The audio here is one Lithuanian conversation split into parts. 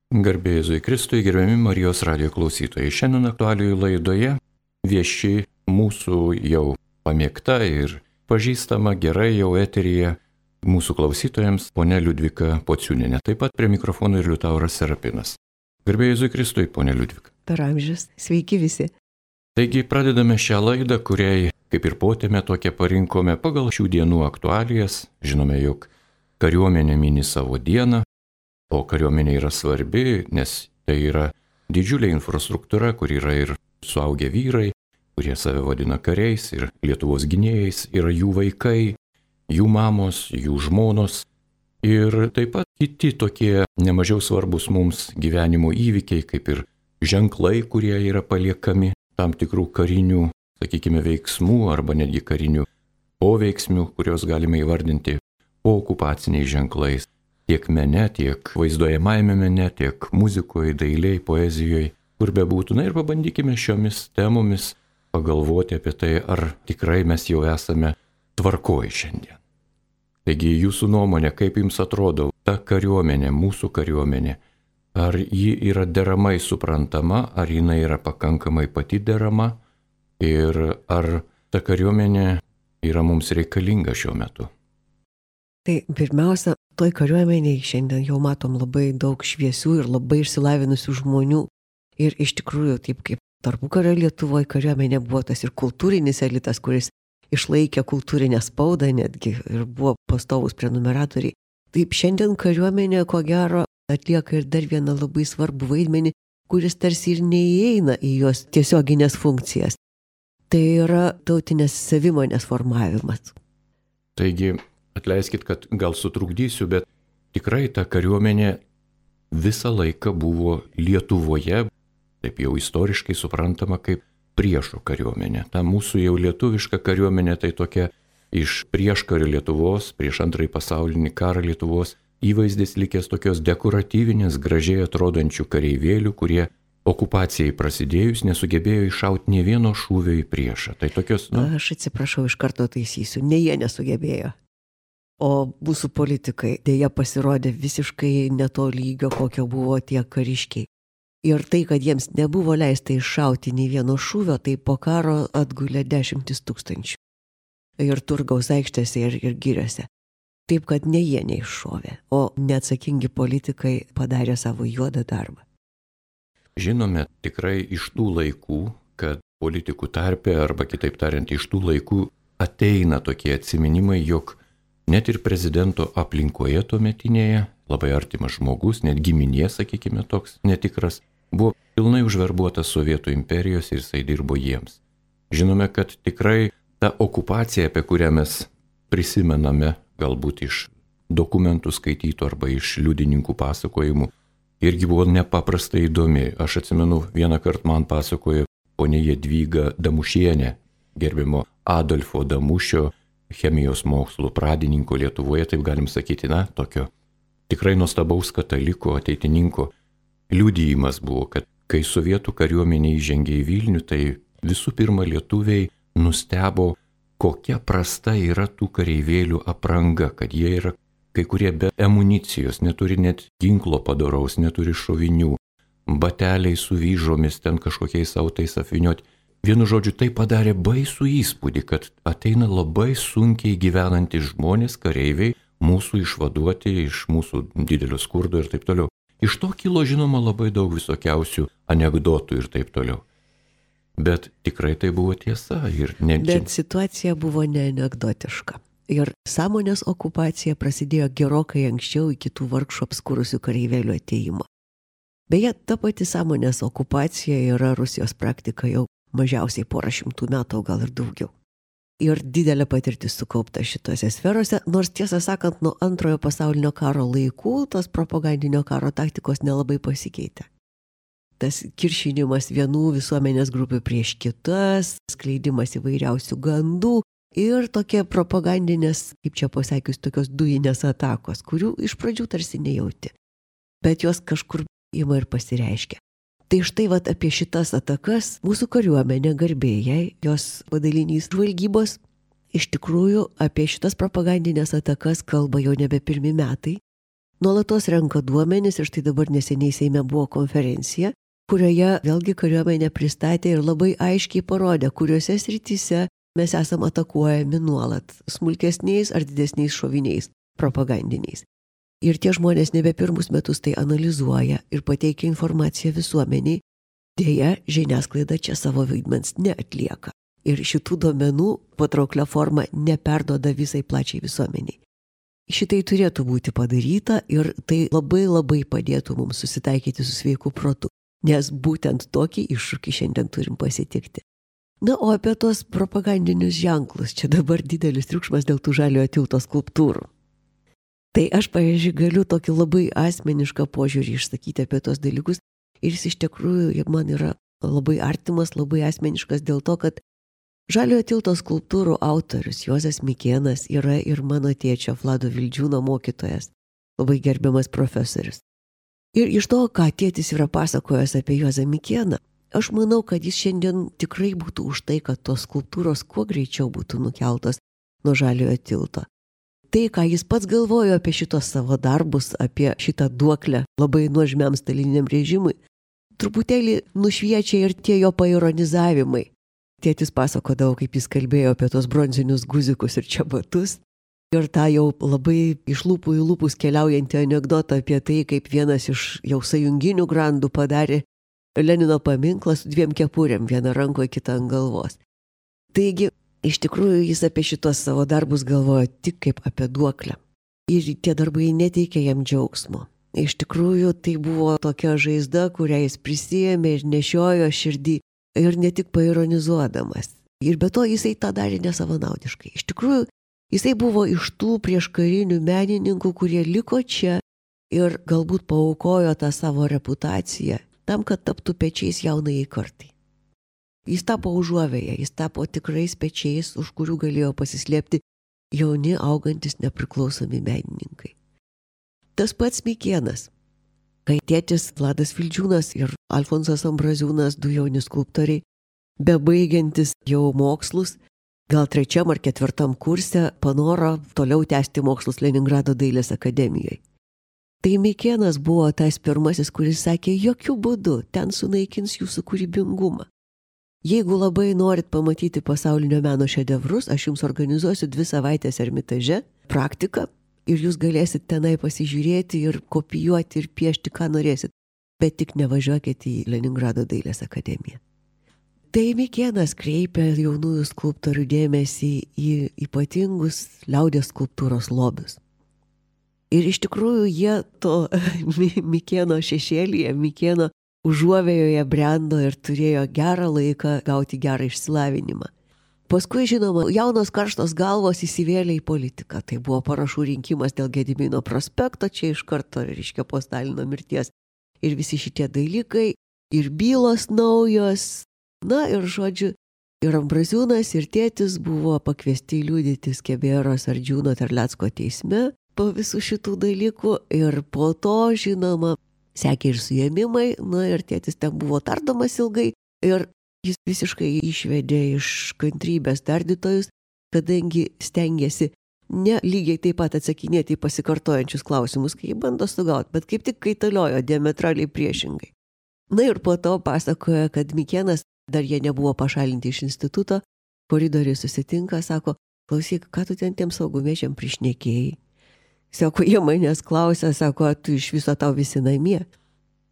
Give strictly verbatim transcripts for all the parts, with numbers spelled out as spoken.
Garbė Jėzui Kristui, gerbiami Marijos radijo klausytojai. Šiandien aktualijų laidoje vieši mūsų jau pamėgta ir pažįstama gerai jau eteryje mūsų klausytojams ponia Liudvika Pociūnienė. Taip pat prie mikrofono ir Liutauras Serapinas. Garbė Jėzui Kristui, ponia Liudvika. Per amžius. Sveiki visi. Taigi pradedame šią laidą, kuriai kaip ir potėme tokią parinkome pagal šių dienų aktualijas. Žinome, jog kariuomenė mini savo dieną. O kariuomenė yra svarbi, nes tai yra didžiulė infrastruktūra, kur yra ir suaugę vyrai, kurie save vadina kariais, ir Lietuvos gynėjais, yra jų vaikai, jų mamos, jų žmonos. Ir taip pat kiti tokie nemažiau svarbus mums gyvenimo įvykiai, kaip ir ženklai, kurie yra paliekami tam tikrų karinių, sakykime, veiksmų arba netgi karinių poveiksmių, kuriuos galime įvardinti pookupaciniais ženklais. Tiek mene, tiek vaizduojamajame mene, tiek muzikoje, dailėje, poezijoje, kur bebūtų. Na ir pabandykime šiomis temomis pagalvoti apie tai, ar tikrai mes jau esame tvarkoj šiandien. Taigi jūsų nuomonė, kaip jums atrodo, ta kariuomenė, mūsų kariuomenė, ar ji yra deramai suprantama, ar jinai yra pakankamai pati derama ir ar ta kariuomenė yra mums reikalinga šiuo metu? Tai pirmiausia, toj kariuomeniai šiandien jau matom labai daug šviesių ir labai išsilavinusių žmonių. Ir iš tikrųjų, taip kaip tarpukario Lietuvoje kariuomenė buvo tas ir kultūrinis elitas, kuris išlaikė kultūrinę spaudą netgi ir buvo pastovus prenumeratoriai. Taip šiandien kariuomenė, ko gero, atlieka ir dar vieną labai svarbų vaidmenį, kuris tarsi ir neįeina į jos tiesioginės funkcijas. Tai yra tautinės savimonės formavimas. Taigi, atleiskit, kad gal sutrukdysiu, bet tikrai ta kariuomenė visą laiką buvo Lietuvoje, taip jau istoriškai suprantama kaip priešo kariuomenė. Ta mūsų jau lietuviška kariuomenė tai tokia iš prieškario Lietuvos, prieš antrąjį pasaulinį karą Lietuvos įvaizdis likęs tokios dekoratyvinės, gražiai atrodančių kareivėlių, kurie okupacijai prasidėjus nesugebėjo iššauti nė vieno šūvio į priešą. Tai tokios, nu... Aš atsiprašau, iš karto taisysiu, ne jie nesugebėjo. O mūsų politikai dėja pasirodė visiškai ne to lygio, kokio buvo tie kariškiai. Ir tai, kad jiems nebuvo leista iššauti nei vieno šūvio, tai po karo atgulė dešimtis tūkstančių. Ir Turgaus aikštėse ir, ir giriose. Taip, kad ne jie neiššovė, o neatsakingi politikai padarė savo juodą darbą. Žinome tikrai iš tų laikų, kad politikų tarpe, arba kitaip tariant, iš tų laikų ateina tokie atsiminimai, jog net ir prezidento aplinkoje tuometinėje, labai artimas žmogus, net giminė, sakykime, toks netikras, buvo pilnai užverbuotas Sovietų imperijos ir jisai dirbo jiems. Žinome, kad tikrai ta okupacija, apie kurią mes prisimename, galbūt iš dokumentų skaitytų arba iš liudininkų pasakojimų, irgi buvo nepaprastai įdomi. Aš atsimenu, vieną kartą man pasakojo ponia Jadvyga Damušienė, gerbimo Adolfo Damušio, chemijos mokslų pradininko Lietuvoje, taip galim sakyti, na, tokio tikrai nuostabaus kataliko, ateitininko liudijimas buvo, kad kai sovietų kariuomenė įžengė į Vilnių, tai visų pirma lietuviai nustebo, kokia prasta yra tų kareivėlių apranga, kad jie yra kai kurie be amunicijos, neturi net ginklo padoraus, neturi šovinių, bateliai su vyžomis, ten kažkokiais autais apvynioti. Vienu žodžiu, tai padarė baisų įspūdį, kad ateina labai sunkiai gyvenantys žmonės, kareiviai, mūsų išvaduoti iš mūsų didelio skurdo ir taip toliau. Iš to kilo, žinoma, labai daug visokiausių anekdotų ir taip toliau. Bet tikrai tai buvo tiesa. Ir ne... Bet situacija buvo ne anekdotiška. Ir sąmonės okupacija prasidėjo gerokai anksčiau iki tų vargšų apskurusių kareivėlių ateimo. Beje, ta pati sąmonės okupacija yra Rusijos praktika jau mažiausiai porą šimtų metų, gal ir daugiau. Ir didelė patirtis sukaupta šitose sferose, nors tiesą sakant, nuo antrojo pasaulinio karo laikų tos propagandinio karo taktikos nelabai pasikeitė. Tas kiršinimas vienų visuomenės grupių prieš kitas, skleidimas įvairiausių gandų ir tokie propagandinės, kaip čia pasakius, tokios dujinės atakos, kurių iš pradžių tarsi nejauti. Bet jos kažkur ima ir pasireiškia. Tai štai vat apie šitas atakas mūsų kariuomenė garbėjai, jos padalinys žvalgybos, iš tikrųjų apie šitas propagandinės atakas kalba jau nebe pirmi metai. nuolatos renka duomenis ir štai dabar neseniai Seime buvo konferencija, kurioje vėlgi kariuomenė pristatė ir labai aiškiai parodė, kuriuose srityse mes esam atakuojami nuolat smulkesniais ar didesniais šoviniais propagandiniais. Ir tie žmonės nebe pirmus metus tai analizuoja ir pateikia informaciją visuomeniai. Deja, žiniasklaida čia savo vaidmens neatlieka. Ir šitų duomenų patrauklia forma neperduoda visai plačiai visuomeniai. Šitai turėtų būti padaryta ir tai labai labai padėtų mums susitaikyti su sveiku protu, nes būtent tokį iššūkį šiandien turim pasitikti. Na, o apie tos propagandinius ženklus, čia dabar didelis triukšmas dėl tų žaliojo tilto skulptūrų. Tai aš, pavyzdžiui, galiu tokį labai asmenišką požiūrį išsakyti apie tos dalykus ir jis iš tikrųjų man yra labai artimas, labai asmeniškas dėl to, kad žaliojo tilto skulptūrų autorius Juozas Mikėnas yra ir mano tėčio Vlado Vildžiūno mokytojas, labai gerbiamas profesorius. Ir iš to, ką tėtis yra pasakojęs apie Juozą Mikėną, aš manau, kad jis šiandien tikrai būtų už tai, kad tos skulptūros kuo greičiau būtų nukeltos nuo žaliojo tilto. Tai, ką jis pats galvojo apie šitos savo darbus, apie šitą duoklę labai nuožmiam staliniam režimui, truputėlį nušviečia ir tie jo paironizavimai. Tėtis pasakodavo, kaip jis kalbėjo apie tos bronzinius guzikus ir čiabatus. Ir tą jau labai iš lūpų į lūpus keliaujantį anekdotą apie tai, kaip vienas iš jau sąjunginių grandų padarė Lenino paminklą su dviem kepurėm, vieną rankoje, kitą ant galvos. Taigi, iš tikrųjų, jis apie šitos savo darbus galvojo tik kaip apie duoklę. Ir tie darbai neteikė jam džiaugsmo. Iš tikrųjų, tai buvo tokia žaizda, kurią jis prisijėmė ir nešiojo širdį ir ne tik paironizuodamas. Ir be to jisai tą darė nesavanaudiškai. Iš tikrųjų, jisai buvo iš tų prieškarinių menininkų, kurie liko čia ir galbūt paaukojo tą savo reputaciją tam, kad taptų pečiais jaunai kartai. Jis tapo užuovėje, jis tapo tikrais pečiais, už kurių galėjo pasislėpti jauni, augantis nepriklausomi menininkai. Tas pats Mikėnas, kai tėtis Vladas Vildžiūnas ir Alfonsas Ambraziūnas, du jauni skulptoriai, bebaigiantis jau mokslus, gal trečiam ar ketvirtam kurse, panoro toliau tęsti mokslus Leningrado dailės akademijoje. Tai Mikėnas buvo tas pirmasis, kuris sakė, jokių būdų ten sunaikins jūsų kūrybingumą. Jeigu labai norit pamatyti pasaulinio meno šedevrus, aš jums organizuosiu dvi savaitės Ermitaže praktiką ir jūs galėsit tenai pasižiūrėti ir kopijuoti ir piešti, ką norėsit, bet tik nevažiuokite į Leningrado dailės akademiją. Tai Mikėnas kreipia jaunųjų skulptorių dėmesį į ypatingus liaudies skulptūros lobius. Ir iš tikrųjų jie to Mikėno šešėlyje, Mikėno užuovėjoje brendo ir turėjo gerą laiką gauti gerą išsilavinimą. Paskui, žinoma, jaunos karštos galvos įsivėlė į politiką. Tai buvo parašų rinkimas dėl Gedimino prospekto, čia iš karto reiškia po Stalino mirties. Ir visi šitie dalykai, ir bylos naujos. Na ir žodžiu, ir Ambraziūnas, ir tėtis buvo pakviesti liudyti Skebėros Ardžiūno Terlecko teisme po visų šitų dalykų. Ir po to, žinoma, sekė ir suėmimai, na ir tėtis ten buvo tardomas ilgai ir jis visiškai išvedė iš kantrybės tardytojus, kadangi stengėsi ne lygiai taip pat atsakinėti į pasikartojančius klausimus, kai jį bando sugauti, bet kaip tik kaitaliojo diametraliai priešingai. Na ir po to pasakoja, kad Mikėnas, dar jie nebuvo pašalinti iš instituto, koridoriai susitinka, sako, klausyk, ką tu ten tiem saugumiečiam prišnekėjai? Sako, jie manęs klausia, sako, tu iš viso tau visi namie.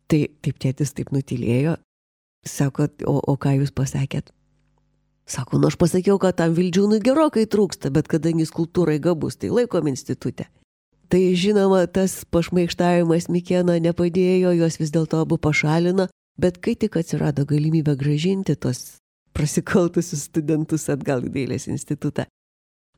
Tai taip tėtis taip nutilėjo. Sako, o, o ką jūs pasakėt? Sako, nu aš pasakiau, kad tam Vildžiūnui gerokai trūksta, bet kadangi skulptūrai gabus, tai laikom institute. Tai žinoma, tas pašmaikštavimas Mikėno nepadėjo, juos vis dėlto abu pašalino, bet kai tik atsirado galimybė gražinti tos prasikaltusius studentus atgal į dailės institutą,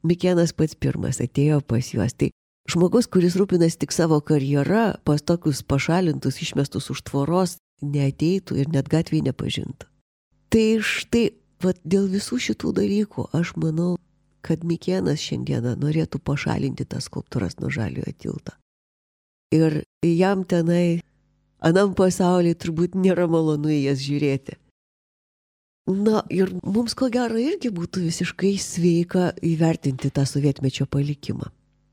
Mikėnas pats pirmas atėjo pas juos. Tai žmogus, kuris rūpinasi tik savo karjerą, pas tokius pašalintus, išmestus už tvoros, neateitų ir net gatvėje nepažintų. Tai štai, vat, dėl visų šitų dalykų aš manau, kad Mikėnas šiandieną norėtų pašalinti tas skulptūras nuo žaliojo tilto. Ir jam tenai, anam pasaulyje turbūt nėra malonu į jas žiūrėti. Na ir mums ko gero irgi būtų visiškai sveika įvertinti tą sovietmečio palikimą.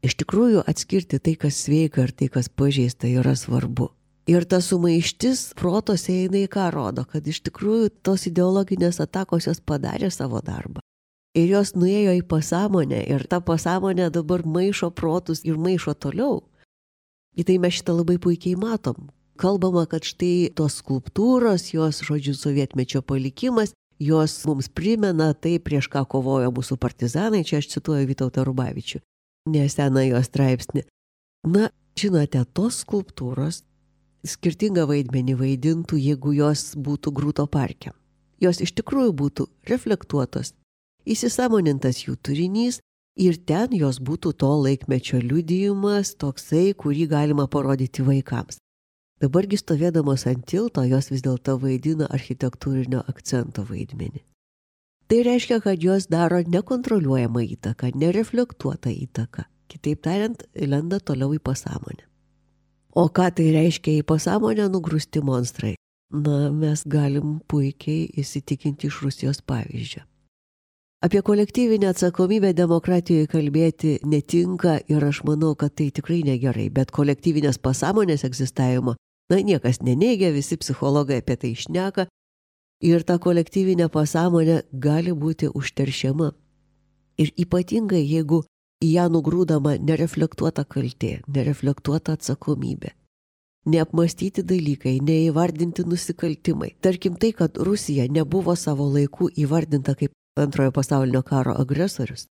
Iš tikrųjų atskirti tai, kas sveika ir tai, kas pažeista, yra svarbu. Ir ta sumaištis protose eina į ką rodo, kad iš tikrųjų tos ideologinės atakos jos padarė savo darbą. Ir jos nuėjo į pasąmonę ir ta pasąmonė dabar maišo protus ir maišo toliau. Į tai mes šitą labai puikiai matom. Kalbama, kad štai tos skulptūros, jos, žodžiu, sovietmečio palikimas, jos mums primena tai, prieš ką kovojo mūsų partizanai, čia aš cituoju Vytautą Rubavičių, neseną jo straipsnį. Na, žinote, tos skulptūros skirtingą vaidmenį vaidintų, jeigu jos būtų Grūto parke. Jos iš tikrųjų būtų reflektuotos, įsisamonintas jų turinys ir ten jos būtų to laikmečio liudijimas, toksai, kurį galima parodyti vaikams. Dabargi stovėdamos ant tilto, jos vis dėlto vaidina architektūrinio akcento vaidmenį. Tai reiškia, kad jos daro nekontroliuojamą įtaką, nereflektuotą įtaką. Kitaip tariant, lenda toliau į pasąmonę. O ką tai reiškia į pasąmonę nugrūsti monstrai? Na, mes galim puikiai įsitikinti iš Rusijos pavyzdžio. Apie kolektyvinę atsakomybę demokratijoje kalbėti netinka ir aš manau, kad tai tikrai negerai, bet kolektyvinės pasąmonės egzistavimo, na, niekas neneigia, visi psichologai apie tai šneka ir ta kolektyvinė pasąmonė gali būti užteršiama. Ir ypatingai, jeigu į ją nugrūdama nereflektuota kaltė, nereflektuota atsakomybė, neapmastyti dalykai, neįvardinti nusikaltimai. Tarkim tai, kad Rusija nebuvo savo laiku įvardinta kaip Antrojo pasaulinio karo agresorius,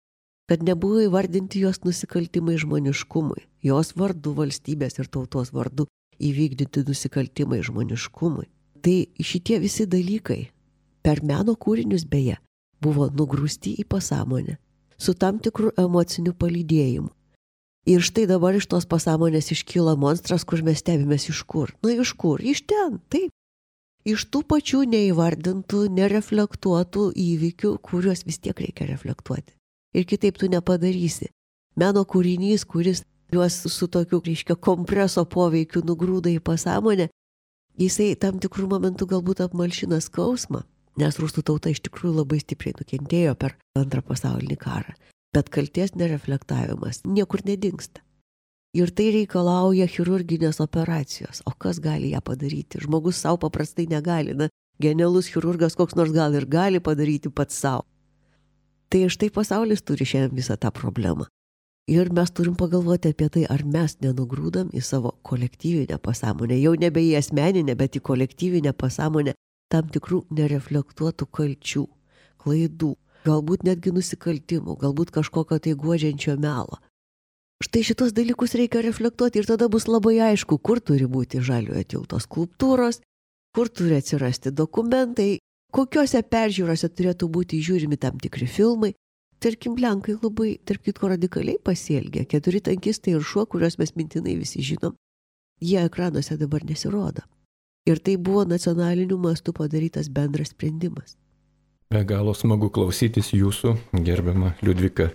kad nebuvo įvardinti jos nusikaltimai žmoniškumui, jos vardu, valstybės ir tautos vardu įvykdyti nusikaltimai žmoniškumui. Tai šitie visi dalykai per meno kūrinius beje buvo nugrūsti į pasąmonę su tam tikru emociniu palydėjimu. Ir štai dabar iš tos pasąmonės iškyla monstras, kur mes stebimės iš kur. Na iš kur? Iš ten, taip. Iš tų pačių neįvardintų, nereflektuotų įvykių, kuriuos vis tiek reikia reflektuoti. Ir kitaip tu nepadarysi. Meno kūrinys, kuris juos su tokiu, reiškia, kompreso poveikiu nugrūda į pasąmonę, jisai tam tikrų momentų galbūt apmalšina skausmą, nes rusų tauta iš tikrųjų labai stipriai nukentėjo per antrą pasaulinį karą. Bet kaltės nereflektavimas niekur nedingsta. Ir tai reikalauja chirurginės operacijos. O kas gali ją padaryti? Žmogus savo paprastai negali. Na, genialus chirurgas koks nors gal ir gali padaryti pats savo. Tai štai pasaulis turi šiandien visą tą problemą. Ir mes turim pagalvoti apie tai, ar mes nenugrūdam į savo kolektyvinę pasąmonę, jau nebe į asmeninę, bet į kolektyvinę pasąmonę tam tikrų nereflektuotų kalčių, klaidų, galbūt netgi nusikaltimų, galbūt kažkokio tai guodžiančio melo. Štai šitos dalykus reikia reflektuoti ir tada bus labai aišku, kur turi būti Žaliojo tilto skulptūros, kur turi atsirasti dokumentai, kokiuose peržiūrose turėtų būti žiūrimi tam tikri filmai. Tarkim, Lenkai labai, tarp kitko, radikaliai pasielgė. Keturi tankistai ir šuo, kuriuos mes mintinai visi žinom, jie ekranuose dabar nesirodo. Ir tai buvo nacionaliniu mastu padarytas bendras sprendimas. Be galo smagu klausytis jūsų, gerbiama Liudvika.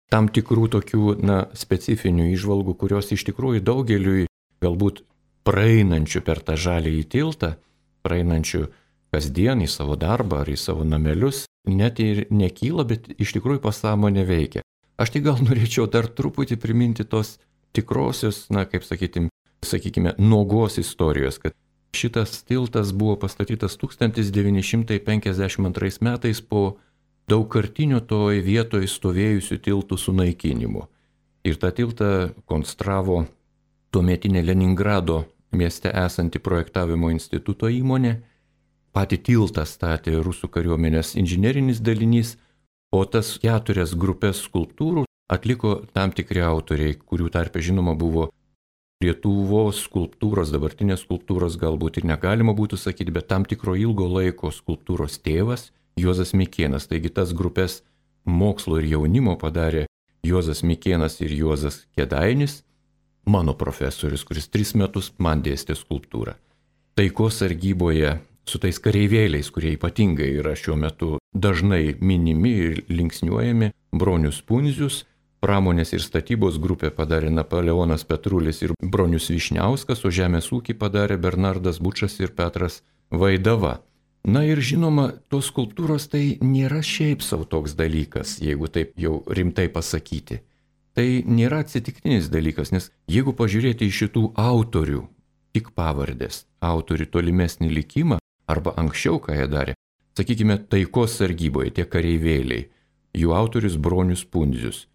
Tam tikrų tokių, na, specifinių įžvalgų, kurios iš tikrųjų daugeliui galbūt praeinančių per tą žaliąjį tiltą, praeinančių kasdien į savo darbą ar į savo namelius, net ir nekyla, bet iš tikrųjų pasąmonė veikia. Aš tai gal norėčiau dar truputį priminti tos tikrosios, na, kaip sakytim, sakykime, nuogos istorijos, kad šitas tiltas buvo pastatytas tūkstantis devyni šimtai penkiasdešimt antrais metais po daugkartinių toj vietoje stovėjusių tiltų sunaikinimu. Ir tą tiltą konstravo tuometinė Leningrado mieste esanti projektavimo instituto įmonė. Patį tiltą statė rusų kariuomenės inžinerinis dalinys, o tas keturias grupės skulptūrų atliko tam tikri autoriai, kurių tarpe žinoma buvo Lietuvos skulptūros, dabartinės skulptūros galbūt ir negalima būtų sakyti, bet tam tikro ilgo laiko skulptūros tėvas Juozas Mikėnas. Taigi tas grupės mokslo ir jaunimo padarė Juozas Mikėnas ir Juozas Kėdainis, mano profesorius, kuris tris metus man dėstė skulptūrą. Taikos sargyboje su tais kareivėliais, kurie ypatingai yra šiuo metu dažnai minimi ir linksniuojami, Bronius Pundzius, pramonės ir statybos grupė padarė Napoleonas Petrulis ir Bronius Višniauskas, o žemės ūkį padarė Bernardas Bučas ir Petras Vaidava. Na ir žinoma, tos skulptūros tai nėra šiaip savo toks dalykas, jeigu taip jau rimtai pasakyti. tai nėra atsitiktinis dalykas, nes jeigu pažiūrėti į šitų autorių, tik pavardės, autorių tolimesnį likimą, arba anksčiau, ką jie darė, sakykime, taikos sargyboje, tie kareivėliai, jų autorius Bronius Pundzius,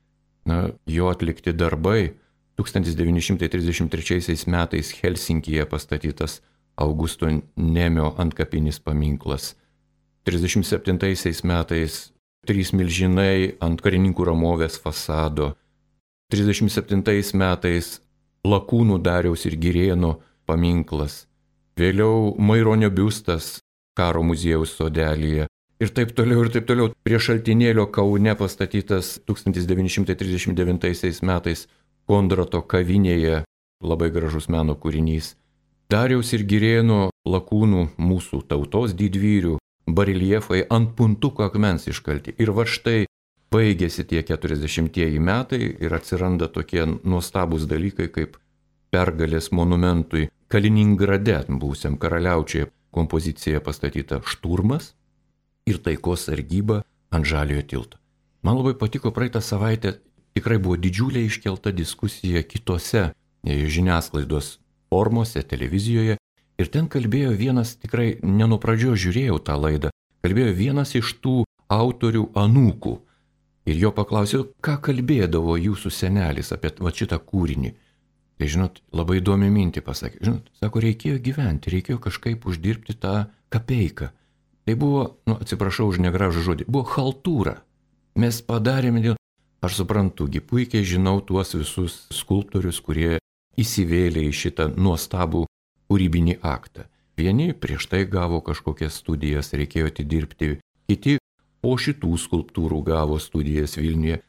na, jo atlikti darbai, tūkstantis devyni šimtai trisdešimt trečiaisiais metais Helsinkyje pastatytas Augusto Nemio antkapinis paminklas, trisdešimt septintaisiais metais trys milžinai ant karininkų ramovės fasado, trisdešimt septintais metais Lakūnų Dariaus ir Girėno paminklas, vėliau Maironio biustas Karo muziejaus sodelyje ir taip toliau ir taip toliau. Prie Šaltinėlio Kaune pastatytas tūkstantis devyni šimtai trisdešimt devintaisiais metais Kondrato kavinėje, labai gražus meno kūrinys. Dariaus ir Girėno Lakūnų, mūsų tautos didvyrių, bareljefai ant puntuko akmens iškalti. Ir va štai baigėsi tie keturiasdešimtieji metai ir atsiranda tokie nuostabūs dalykai kaip pergalės monumentui Kaliningrade, būsiam karaliaučiuje, kompozicija pastatyta Šturmas ir taikos sargyba ant Žaliojo tilto. Man labai patiko praeitą savaitę, tikrai buvo didžiulė iškelta diskusija kitose žiniasklaidos formose, televizijoje. Ir ten kalbėjo vienas, tikrai ne nuo pradžios žiūrėjau tą laidą, kalbėjo vienas iš tų autorių anūkų. Ir jo paklausiau, ką kalbėdavo jūsų senelis apie va, šitą kūrinį. Tai žinot, labai įdomi mintį pasakė. Žinot, sako, reikėjo gyventi, reikėjo kažkaip uždirbti tą kapeiką. Tai buvo, nu, atsiprašau už negražų žodį, buvo chaltūra. Mes padarėme dėl... Aš suprantu, gi puikiai žinau tuos visus skulptorius, kurie įsivėlė į šitą nuostabų kūrybinį aktą. Vieni prieš tai gavo kažkokias studijas, reikėjo atidirbti, kiti po šitų skulptūrų gavo studijas Vilniuje.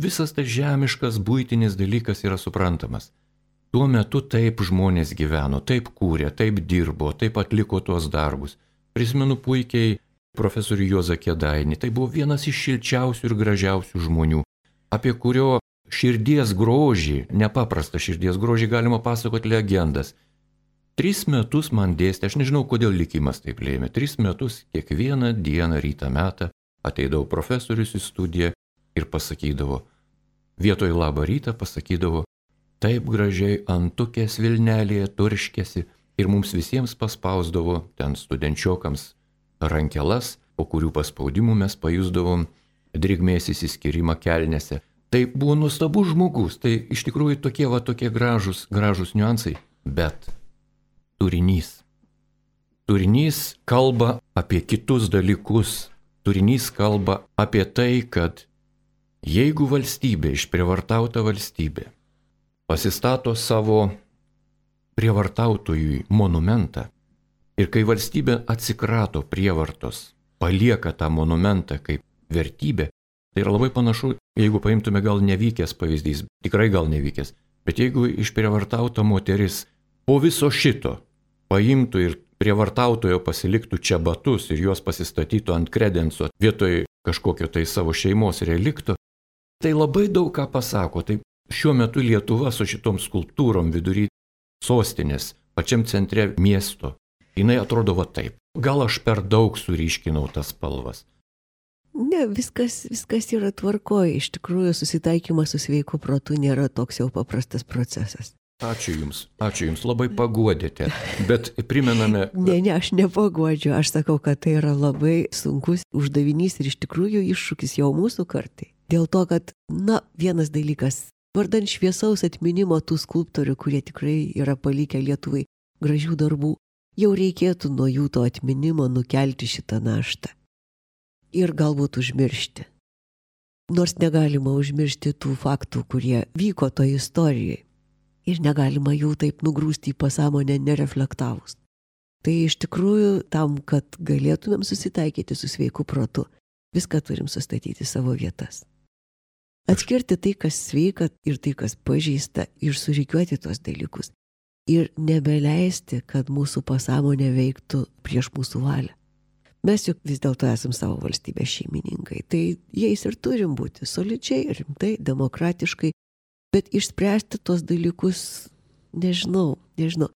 Visas tas žemiškas, buitinis dalykas yra suprantamas. Tuo metu taip žmonės gyveno, taip kūrė, taip dirbo, taip atliko tuos darbus. Prisimenu puikiai profesorių Juozą Kėdainį, tai buvo vienas iš šilčiausių ir gražiausių žmonių, apie kurio širdies grožį, nepaprastą širdies grožį galima pasakoti legendas. Tris metus man dėstė, aš nežinau, kodėl likimas taip lėmė, tris metus kiekvieną dieną rytą metą ateidavo profesorius į studiją ir pasakydavo, vietoj labą rytą pasakydavo, taip gražiai antukės Vilnelėje turškėsi ir mums visiems paspausdavo ten studenčiokams rankelas, po kurių paspaudimų mes pajusdavom drėgmės įsiskyrimą kelnėse. Tai buvo nuostabus žmogus, tai iš tikrųjų tokie va tokie gražus, gražus niuansai, bet turinys. Turinys kalba apie kitus dalykus, turinys kalba apie tai, kad jeigu valstybė, išprievartauta valstybė, pasistato savo prievartautojui monumentą ir kai valstybė atsikrato prievartos, palieka tą monumentą kaip vertybė, tai yra labai panašu, jeigu paimtume gal nevykęs pavyzdys, tikrai gal nevykęs, bet jeigu išprievartauta moteris po viso šito paimtų ir prievartautojo pasiliktų čia batus ir juos pasistatytų ant kredenso vietoj kažkokio tai savo šeimos relikto, tai labai daug ką pasako. Tai šiuo metu Lietuva su šitom skulptūrom vidury sostinės, pačiam centre miesto, jinai atrodo va taip. Gal aš per daug suryškinau tas spalvas? Ne, viskas, viskas yra tvarkoje. Iš tikrųjų, susitaikymas su sveiku protu nėra toks jau paprastas procesas. Ačiū Jums, ačiū Jums, labai paguodėte, bet primename... Ne, ne, aš nepaguodžiu, aš sakau, kad tai yra labai sunkus uždavinys ir iš tikrųjų iššūkis jau mūsų kartai. Dėl to, kad, na, vienas dalykas, vardan šviesaus atminimo tų skulptorių, kurie tikrai yra palikę Lietuvai gražių darbų, jau reikėtų nuo jų to atminimo nukelti šitą naštą. Ir galbūt užmiršti. Nors negalima užmiršti tų faktų, kurie vyko toje istorijoje. Ir negalima jų taip nugrūsti į pasąmonę nereflektavus. Tai iš tikrųjų tam, kad galėtumėm susitaikyti su sveiku protu, viską turim sustatyti savo vietas. Atskirti tai, kas sveika ir tai, kas pažeista, ir surikiuoti tuos dalykus. Ir nebeleisti, kad mūsų pasąmonė veiktų prieš mūsų valią. Mes juk vis dėlto esam savo valstybės šeimininkai, tai jais ir turim būti solidžiai, rimtai, demokratiškai, bet išspręsti tos dalykus, nežinau, nežinau,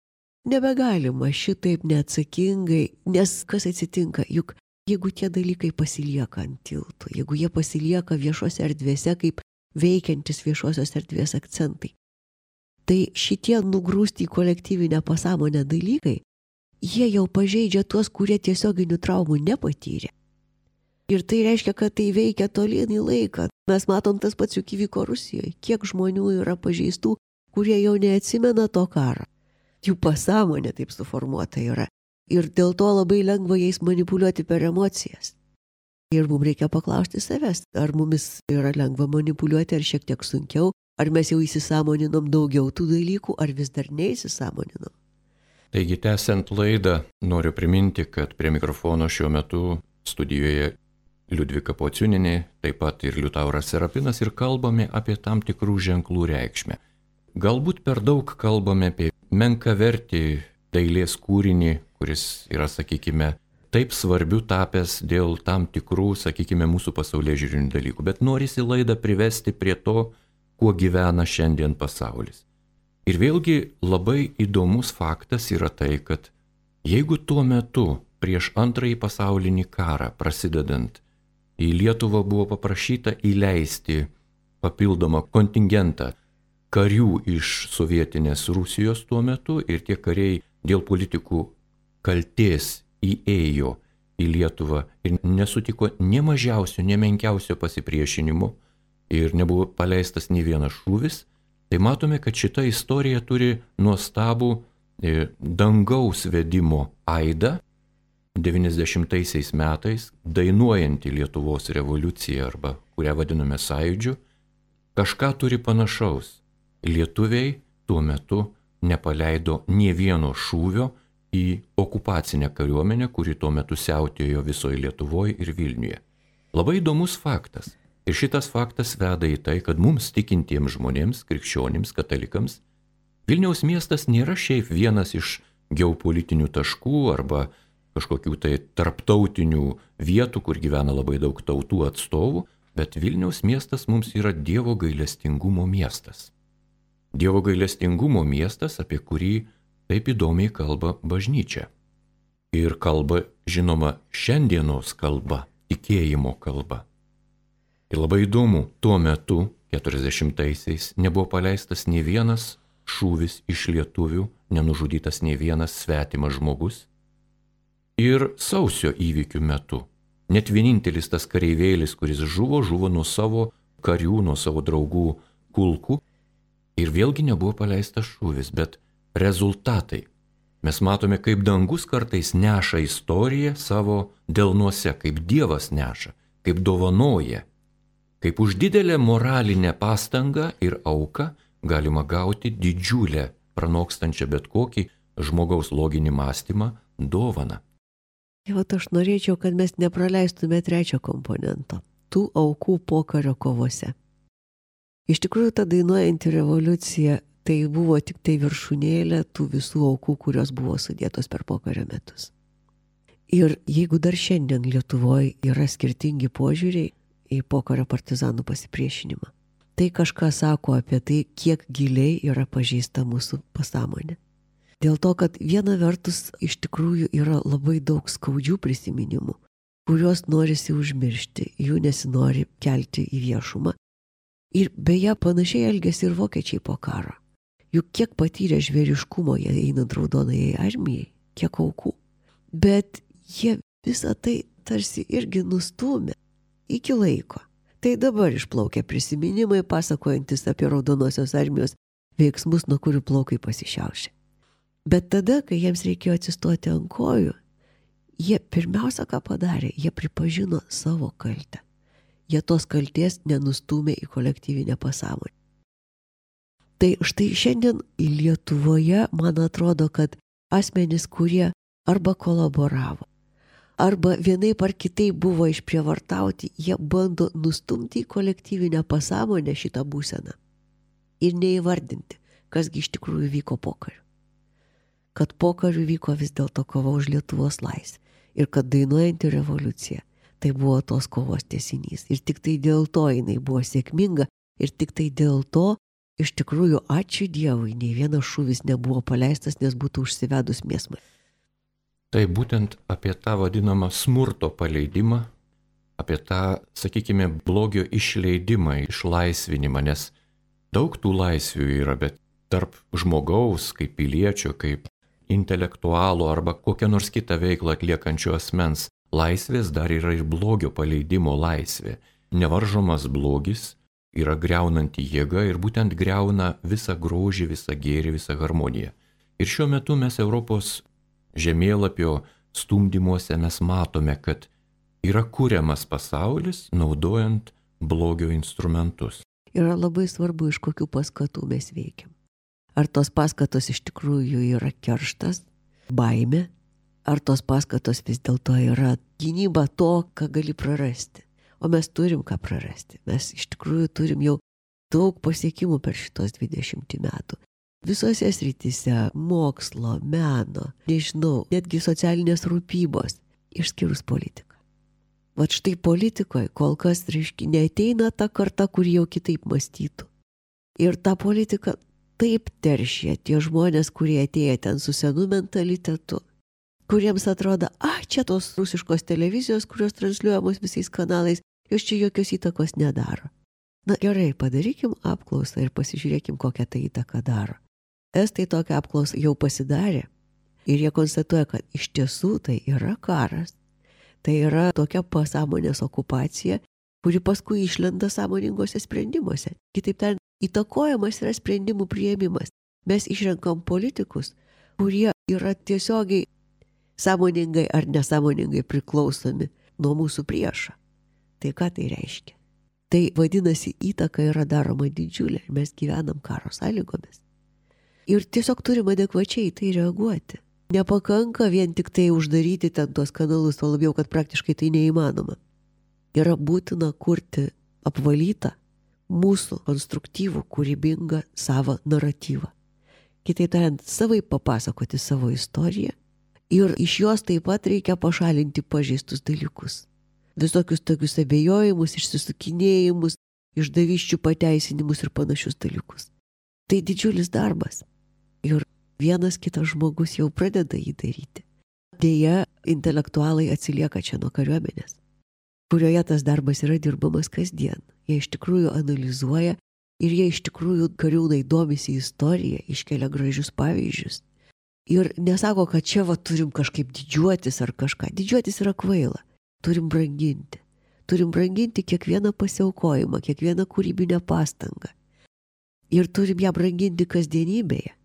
nebegalima šitaip neatsakingai, nes kas atsitinka, juk jeigu tie dalykai pasilieka ant tiltų, jeigu jie pasilieka viešose erdvėse kaip veikiantis viešosios erdvės akcentai. Tai šitie nugrūsti į kolektyvinę pasąmonę dalykai, jie jau pažeidžia tuos, kurie tiesioginių traumų nepatyrė. Ir tai reiškia, kad tai veikia tolyn į laiką. Mes matom tas pats juk įvyko Rusijoje. Kiek žmonių yra pažeistų, kurie jau neatsimena to karo. Jų pasąmonė taip suformuota yra. Ir dėl to labai lengva jais manipuliuoti per emocijas. Ir mums reikia paklausti savęs, ar mumis yra lengva manipuliuoti, ar šiek tiek sunkiau, ar mes jau įsisąmoninom daugiau tų dalykų, ar vis dar neįsisąmoninom. Taigi, tęsiant laidą, noriu priminti, kad prie mikrofono šiuo metu studijoje Liudvika Pociūnienė, taip pat ir Liutauras Serapinas, ir kalbame apie tam tikrų ženklų reikšmę. Galbūt per daug kalbame apie menkavertį dailės kūrinį, kuris yra, sakykime, taip svarbiu tapęs dėl tam tikrų, sakykime, mūsų pasaulėžiūrinių dalykų, bet norisi laidą privesti prie to, kuo gyvena šiandien pasaulis. Ir vėlgi labai įdomus faktas yra tai, kad jeigu tuo metu prieš antrąjį pasaulinį karą prasidedant į Lietuvą buvo paprašyta įleisti papildomą kontingentą karių iš sovietinės Rusijos tuo metu ir tie kariai dėl politikų kaltės įėjo į Lietuvą ir nesutiko ne mažiausio, ne menkiausio pasipriešinimo ir nebuvo paleistas nei vienas šūvis, tai matome, kad šita istorija turi nuostabų e, dangaus vedimo aidą devyniasdešimtaisiais metais, dainuojantį Lietuvos revoliuciją arba kurią vadiname sąjūdžiu, kažką turi panašaus. Lietuviai tuo metu nepaleido nė vieno šūvio į okupacinę kariuomenę, kuri tuo metu siautėjo visoje Lietuvoje ir Vilniuje. Labai įdomus faktas. Ir šitas faktas veda į tai, kad mums tikintiems žmonėms, krikščionims, katalikams, Vilniaus miestas nėra šiaip vienas iš geopolitinių taškų arba kažkokių tai tarptautinių vietų, kur gyvena labai daug tautų atstovų, bet Vilniaus miestas mums yra Dievo gailestingumo miestas. Dievo gailestingumo miestas, apie kurį taip įdomiai kalba bažnyčia. Ir kalba, žinoma, šiandienos kalba, tikėjimo kalba. Ir labai įdomu, tuo metu, keturiasdešimtaisiais, nebuvo paleistas nei vienas šūvis iš lietuvių, nenužudytas nei vienas svetimas žmogus. Ir sausio įvykių metu, net vienintelis tas kareivėlis, kuris žuvo, žuvo nuo savo karių, nuo savo draugų kulkų. Ir vėlgi nebuvo paleistas šūvis, bet rezultatai. Mes matome, kaip dangus kartais neša istoriją savo delnuose, kaip Dievas neša, kaip dovanoja, kaip už didelę moralinę pastangą ir auką galima gauti didžiulę, pranokstančią bet kokį žmogaus loginį mąstymą dovaną. Jau aš norėčiau, kad mes nepraleistume trečio komponento – tų aukų pokario kovose. Iš tikrųjų, ta dainuojanti revoliucija tai buvo tik tai viršūnėlė tų visų aukų, kurios buvo sudėtos per pokario metus. Ir jeigu dar šiandien Lietuvoje yra skirtingi požiūriai į pokario partizanų pasipriešinimą, tai kažką sako apie tai, kiek giliai yra pažeista mūsų pasąmonė. Dėl to, kad viena vertus iš tikrųjų yra labai daug skaudžių prisiminimų, kuriuos norisi užmiršti, jų nesinori kelti į viešumą. Ir beje, panašiai elgėsi ir vokiečiai po karo. Juk kiek patyrė žvėriškumo jie einant raudonajai armijai, kiek aukų. Bet jie visą tai tarsi irgi nustūmė iki laiko. Tai dabar išplaukia prisiminimai, pasakojantis apie raudonosios armijos veiksmus, nuo kurių plaukai pasišiaušė. Bet tada, kai jiems reikėjo atsistoti ant kojų, jie pirmiausia, ką padarė, jie pripažino savo kaltę. Jie tos kalties nenustūmė į kolektyvinę pasąmonę. Tai štai šiandien Lietuvoje, man atrodo, kad asmenys, kurie arba kolaboravo, arba vienaip ar kitaip buvo išprievartauti, jie bando nustumti į kolektyvinę pasąmonę šitą būseną ir neįvardinti, kasgi iš tikrųjų vyko pokariu. Kad pokariu vyko vis dėlto kova už Lietuvos laisvę ir kad dainuojanti revoliucija tai buvo tos kovos tęsinys. Ir tik tai dėl to jinai buvo sėkminga ir tik tai dėl to iš tikrųjų ačiū Dievui, nei vienas šūvis nebuvo paleistas, nes būtų užsivedus mėsmai. Tai būtent apie tą vadinamą smurto paleidimą apie tą, sakykime, blogio išleidimą, išlaisvinimą, nes daug tų laisvių yra, bet tarp žmogaus, kaip piliečio, kaip intelektualo arba kokią nors kitą veiklą atliekančio asmens laisvės dar yra ir blogio paleidimo laisvė. Nevaržomas blogis yra greunanti jėga ir būtent greuna visą grožį, visą gėrį, visą harmoniją. Ir šiuo metu mes Europos žemėlapio stumdymuose mes matome, kad yra kuriamas pasaulis naudojant blogio instrumentus. Yra labai svarbu, iš kokių paskatų mes veikiam. Ar tos paskatos iš tikrųjų yra kerštas, baimė, ar tos paskatos vis dėlto yra gynyba to, ką gali prarasti. O mes turim ką prarasti. Mes iš tikrųjų turim jau daug pasiekimų per šitos dvidešimt metų. Visose srityse - mokslo, meno, nežinau, netgi socialinės rūpybos, išskyrus politiką. Vat štai politikoje kol kas, reiškia, neateina ta karta, kur jau kitaip mąstytų. Ir tą politiką taip teršia tie žmonės, kurie atėjo ten su senu mentalitetu, kuriems atrodo, ah, čia tos rusiškos televizijos, kurios transliuojamos visais kanalais, jos čia jokios įtakos nedaro. Na gerai, padarykim apklausą ir pasižiūrėkim, kokią tai įtaką daro. Estai tokią apklausą jau pasidarė ir jie konstatuoja, kad iš tiesų tai yra karas. Tai yra tokia pasąmonės okupacija, kuri paskui išlenda sąmoningose sprendimuose. Kitaip tariant, įtakojamas yra sprendimų priėmimas. Mes išrenkam politikus, kurie yra tiesiogiai sąmoningai ar nesąmoningai priklausomi nuo mūsų priešo. Tai ką tai reiškia? Tai vadinasi, įtaka yra daroma didžiulė ir mes gyvenam karo sąlygomis. Ir tiesiog turim adekvačiai tai reaguoti. Nepakanka vien tik tai uždaryti ten tuos kanalus, o labiau, kad praktiškai tai neįmanoma. Yra būtina kurti apvalytą, mūsų konstruktyvų, kūrybingą savo naratyvą. Kitaip tariant, savai papasakoti savo istoriją ir iš jos taip pat reikia pašalinti pažeistus dalykus. Visokius tokius abejojimus, išsisukinėjimus, išdavysčių pateisinimus ir panašius dalykus. Tai didžiulis darbas. Ir vienas kitas žmogus jau pradeda jį daryti. Deja, intelektualai atsilieka čia nuo kariuomenės, kurioje tas darbas yra dirbamas kasdien. Jie iš tikrųjų analizuoja ir jie iš tikrųjų kariūnai domisi istoriją, iškelia gražius pavyzdžius. Ir nesako, kad čia va turim kažkaip didžiuotis ar kažką. Didžiuotis yra kvaila. Turim branginti. Turim branginti kiekvieną pasiaukojimą, kiekvieną kūrybinę pastangą. Ir turim ją branginti kasdienybėje.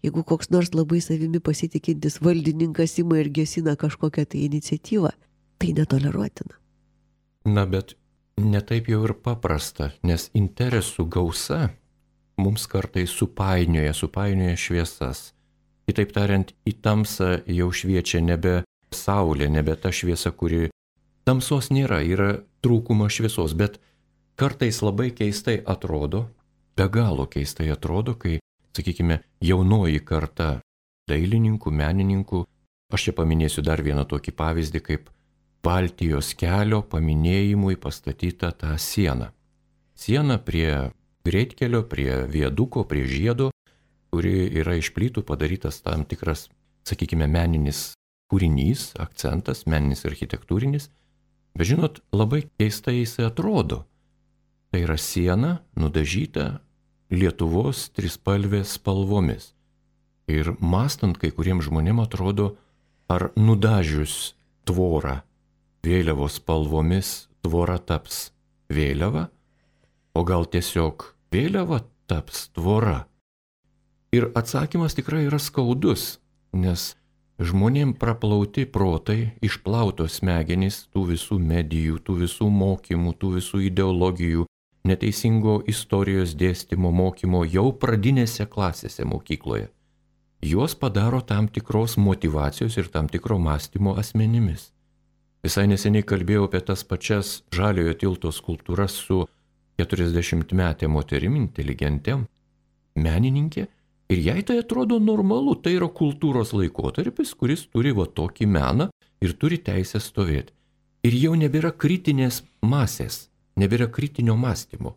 Jeigu koks nors labai savimi pasitikintis valdininkas ima ir gesina kažkokią tai iniciatyvą, tai netoleruotina. Na, bet netaip jau ir paprasta, nes interesų gausa mums kartais supainioja, supainioja šviesas. Kitaip tariant, į tamsą jau šviečia nebe saulė, nebe ta šviesa, kuri tamsos nėra, yra trūkumas šviesos, bet kartais labai keistai atrodo, be galo keistai atrodo, kai, sakykime, jaunoji karta dailininkų, menininkų, aš čia paminėsiu dar vieną tokį pavyzdį, kaip Baltijos kelio paminėjimui pastatyta ta siena. Siena prie greitkelio, prie viaduko, prie žiedo, kuri yra iš plytų padarytas tam tikras, sakykime, meninis kūrinys, akcentas, meninis architektūrinis. Bet žinot, labai keistai jisai atrodo. Tai yra siena nudažyta Lietuvos trispalvės spalvomis. Ir mąstant, kai kuriems žmonėms atrodo, ar nudažius tvorą vėliavos spalvomis tvora taps vėliava, o gal tiesiog vėliava taps tvora. Ir atsakymas tikrai yra skaudus, nes žmonėm praplauti protai, išplautos smegenys tų visų medijų, tų visų mokymų, tų visų ideologijų, neteisingo istorijos dėstymo mokymo jau pradinėse klasėse mokykloje. Juos padaro tam tikros motyvacijos ir tam tikro mąstymo asmenimis. Visai neseniai kalbėjau apie tas pačias Žaliojo tilto skulptūras su keturiasdešimtmetė moterim, inteligentėm, menininkė, ir jai tai atrodo normalu, tai yra kultūros laikotarpis, kuris turi va tokį meną ir turi teisę stovėti. Ir jau nebėra kritinės masės, nebėra kritinio mąstymo.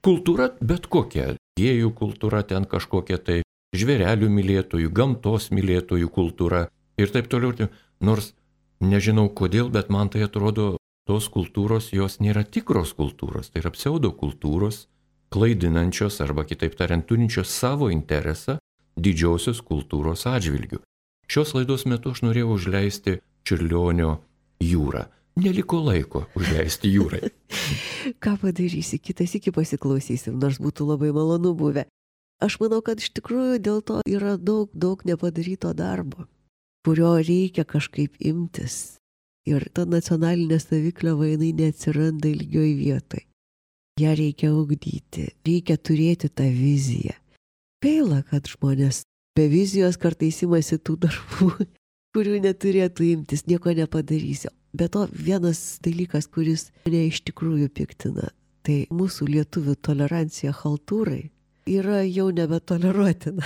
Kultūra bet kokia, gėjų kultūra, ten kažkokia tai žvėrelių mylėtojų, gamtos mylėtojų kultūra ir taip toliau. Nors nežinau kodėl, bet man tai atrodo tos kultūros jos nėra tikros kultūros, tai yra pseudokultūros, klaidinančios arba kitaip tariant turinčios savo interesą didžiosios kultūros atžvilgių. Šios laidos metu aš norėjau užleisti Čiurlionio jūrą. Neliko laiko užleisti jūrai. Ką padarysi, kitas iki pasiklausysim, nors būtų labai malonu buvę. Aš manau, kad iš tikrųjų dėl to yra daug, daug nepadaryto darbo, kurio reikia kažkaip imtis. Ir ta nacionalinė savikliava jinai neatsiranda ilgioj vietoj. Ja reikia ugdyti, reikia turėti tą viziją. Gaila, kad žmonės be vizijos kartais imasi tų darbų, kurių neturėtų imtis, nieko nepadarysiu. Be to vienas dalykas, kuris mane iš tikrųjų piktina, tai mūsų lietuvių tolerancija chaltūrai yra jau nebetoleruotina.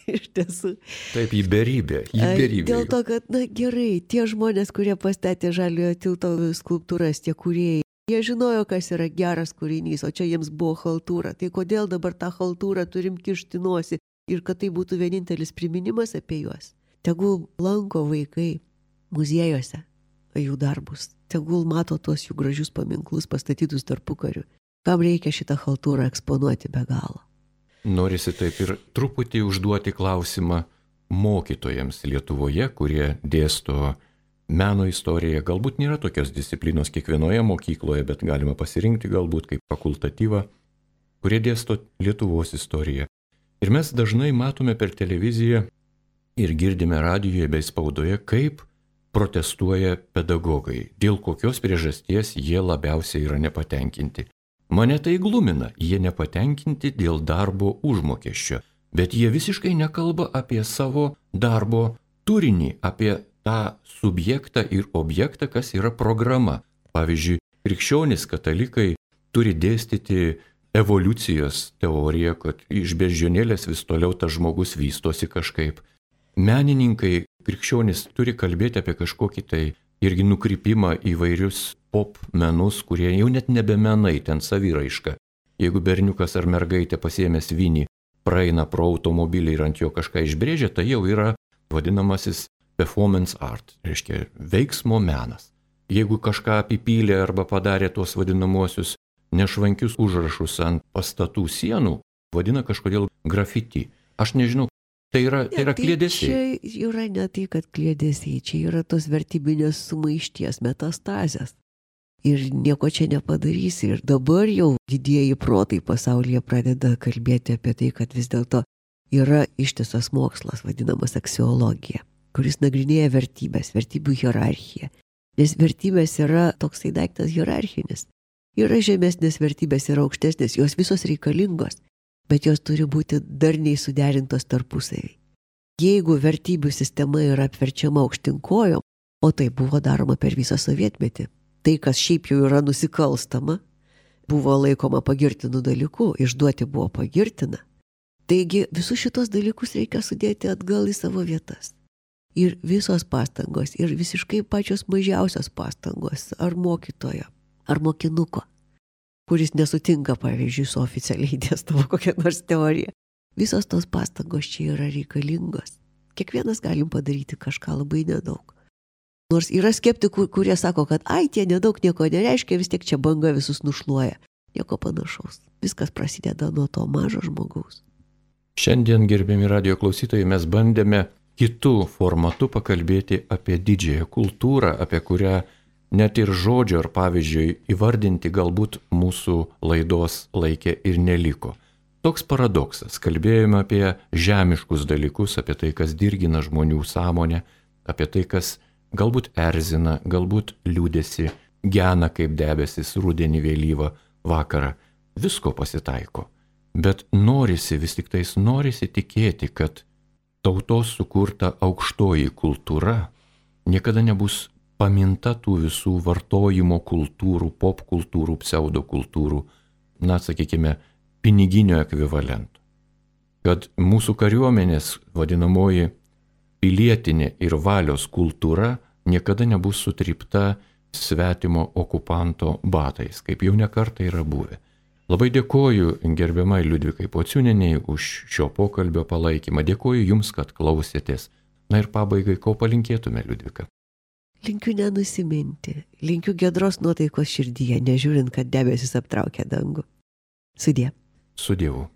Iš tiesų. Taip, į beribę, į beribę. Dėl to, kad, na gerai, tie žmonės, kurie pastatė Žaliojo tilto skulptūras, tie kūrėjai, jie žinojo, kas yra geras kūrinys, o čia jiems buvo chaltūra. Tai kodėl dabar tą chaltūrą turim kišti nosį ir kad tai būtų vienintelis priminimas apie juos? Tegul lanko vaikai muziejuose jų darbus, tegul mato tuos jų gražius paminklus pastatytus tarpukariu. Kam reikia šitą chaltūrą eksponuoti be galo? Norisi taip ir truputį užduoti klausimą mokytojams Lietuvoje, kurie dėsto meno istoriją. Galbūt nėra tokios disciplinos kiekvienoje mokykloje, bet galima pasirinkti galbūt kaip fakultatyvą, kurie dėsto Lietuvos istoriją. Ir mes dažnai matome per televiziją ir girdime radijoje bei spaudoje, kaip protestuoja pedagogai, dėl kokios priežasties jie labiausiai yra nepatenkinti. Mane tai glumina, jie nepatenkinti dėl darbo užmokesčio, bet jie visiškai nekalba apie savo darbo turinį, apie tą subjektą ir objektą, kas yra programa. Pavyzdžiui, krikščionys katalikai turi dėstyti evoliucijos teoriją, kad iš beždžionėlės vis toliau tas žmogus vystosi kažkaip. Menininkai krikščionys turi kalbėti apie kažkokį tai irgi nukrypimą į vairius pop menus, kurie jau net nebe menai, ten saviraiška. Jeigu berniukas ar mergaitė pasiėmęs vinį praeina pro automobilį ir ant jo kažką išbrėžia, tai jau yra vadinamasis performance art, reiškia veiksmo menas. Jeigu kažką apipylė arba padarė tuos vadinamuosius nešvankius užrašus ant pastatų sienų, vadina kažkodėl grafiti. Aš nežinau, tai yra, tai yra kliedesiai. Čia yra ne tai, kad kliedesiai, čia yra tos vertybinės sumaišties metastazės. Ir nieko čia nepadarysi. Ir dabar jau didieji protai pasaulyje pradeda kalbėti apie tai, kad vis dėlto yra ištisas mokslas, vadinamas aksiologija, kuris nagrinėja vertybės, vertybių hierarchiją. Nes vertybės yra toksai daiktas hierarchinis. Yra žemesnės vertybės, yra aukštesnės, jos visos reikalingos, bet jos turi būti darniai suderintos tarpusavy. Jeigu vertybių sistema yra apverčiama aukštinkojom, o tai buvo daroma per visą sovietmetį, tai, kas šiaip jau yra nusikalstama, buvo laikoma pagirtinų dalykų, išduoti buvo pagirtina. Taigi visus šitos dalykus reikia sudėti atgal į savo vietas. Ir visos pastangos, ir visiškai pačios mažiausios pastangos, ar mokytojo, ar mokinuko, kuris nesutinka, pavyzdžiui, su oficialiai dėstama kokia nors teorija. Visos tos pastangos čia yra reikalingos. Kiekvienas galim padaryti kažką labai nedaug. Nors yra skeptikų, kurie sako, kad ai, tie nedaug nieko nereiškia, vis tiek čia banga visus nušluoja. Nieko panašaus. Viskas prasideda nuo to mažo žmogaus. Šiandien, gerbiami radijo klausytojai, mes bandėme kitų formatų pakalbėti apie didžiąją kultūrą, apie kurią net ir žodžio ar pavyzdžiui įvardinti galbūt mūsų laidos laikė ir neliko. Toks paradoksas. Kalbėjome apie žemiškus dalykus, apie tai, kas dirgina žmonių sąmonę, apie tai, kas galbūt erzina, galbūt liūdėsi, gena kaip debesis rudenį vėlyvą vakarą. Visko pasitaiko. Bet norisi, vis tik tais norisi tikėti, kad tautos sukurta aukštoji kultūra niekada nebus paminta tų visų vartojimo kultūrų, pop kultūrų, pseudo kultūrų, na, sakykime, piniginio ekvivalento. Kad mūsų kariuomenės vadinamoji pilietinė ir valios kultūra niekada nebus sutrypta svetimo okupanto batais, kaip jau nekartą yra buvę. Labai dėkoju gerbiamai Liudvikai Pociūnienei už šio pokalbio palaikymą. Dėkoju Jums, kad klausėtės. Na ir pabaigai, ko palinkėtume, Liudvika? linkiu nenusiminti, linkiu giedros nuotaikos širdyje, nežiūrint, kad debesis aptraukia dangų. Sudie. Su Dievu.